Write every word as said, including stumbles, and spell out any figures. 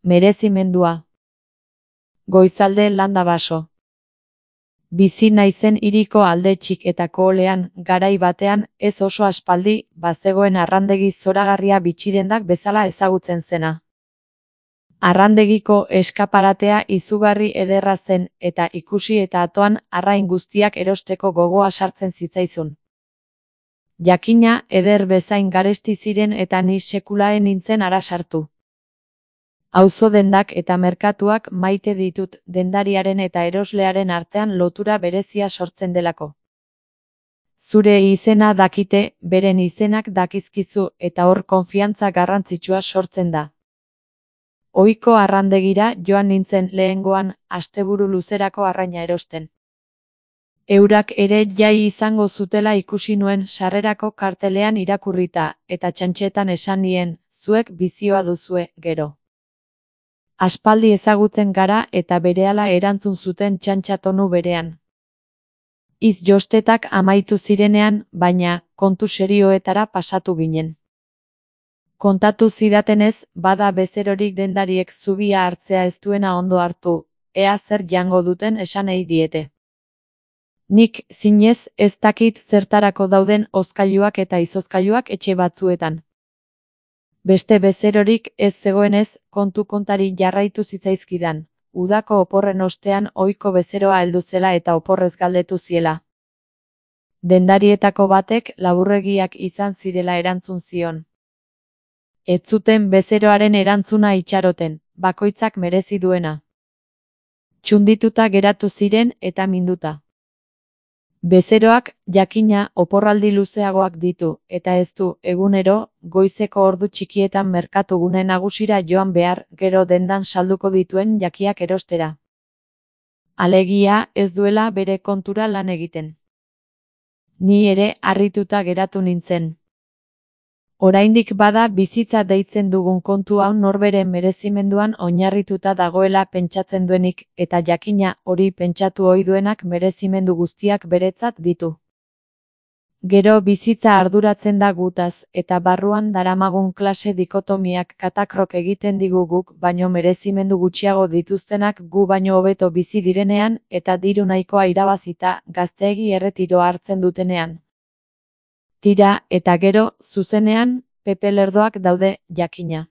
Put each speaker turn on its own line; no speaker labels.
Merezimendua. Goizalde landa baso. Bizi naizen hiriko alde txik eta koholean, garai batean, ez oso aspaldi, bazegoen arrandegi zoragarria bitxidendak bezala ezagutzen zena. Arrandegiko eskaparatea izugarri ederra zen, eta ikusi eta atoan arrain guztiak erosteko gogoa sartzen zitzaizun. Jakina, eder bezain garesti ziren eta ni sekulaen nintzen ara sartu. Auzo dendak eta merkatuak maite ditut dendariaren eta eroslearen artean lotura berezia sortzen delako. Zure izena dakite, beren izenak dakizkizu eta hor konfiantza garrantzitsua sortzen da. Ohiko arrandegira joan nintzen lehengoan, asteburu luzerako arraina erosten. Eurak ere jai izango zutela ikusi nuen sarrerako kartelean irakurrita, eta txantxetan esan nien, zuek bizioa duzue, gero. Aspaldi ezagutzen gara eta berehala erantzun zuten txantxa tonu berean. Iz jostetak amaitu zirenean, baina, kontu serioetara pasatu ginen. Kontatu zidatenez, bada bezerorik dendariek zubia hartzea ez duena ondo hartu, ea zer jango duten esanei diete. Nik, zinez, ez dakit zertarako dauden hozkailuak eta izozkailuak etxe batzuetan. Beste bezerorik ez zegoenez, kontu kontari jarraitu zitzaizkidan, udako oporren ostean ohiko bezeroa heldu zela eta oporrez galdetu ziela. Dendarietako batek laburregiak izan zirela erantzun zion. Ez zuten bezeroaren erantzuna itxaroten, bakoitzak merezi duena. Txundituta geratu ziren eta minduta. Bezeroak, jakina, oporraldi luzeagoak ditu, eta ez du, egunero, goizeko ordu txikietan merkatugune nagusira joan behar, gero dendan salduko dituen jakiak erostera. Alegia, ez duela bere kontura lan egiten. Ni ere harrituta geratu nintzen. Oraindik bada bizitza deitzen dugun kontu hau norberen merezimenduan oinarrituta dagoela pentsatzen duenik, eta jakina hori pentsatu ohi duenak merezimendu guztiak beretzat ditu. Gero bizitza arduratzen da gutaz, eta barruan daramagun klase dikotomiak katakrok egiten digu guk baino merezimendu gutxiago dituztenak gu baino hobeto bizi direnean, eta diru nahikoa irabazita, gazteegi erretiroa hartzen dutenean. Tira, eta gero, zuzenean, Pepe Lerdoak daude, jakina.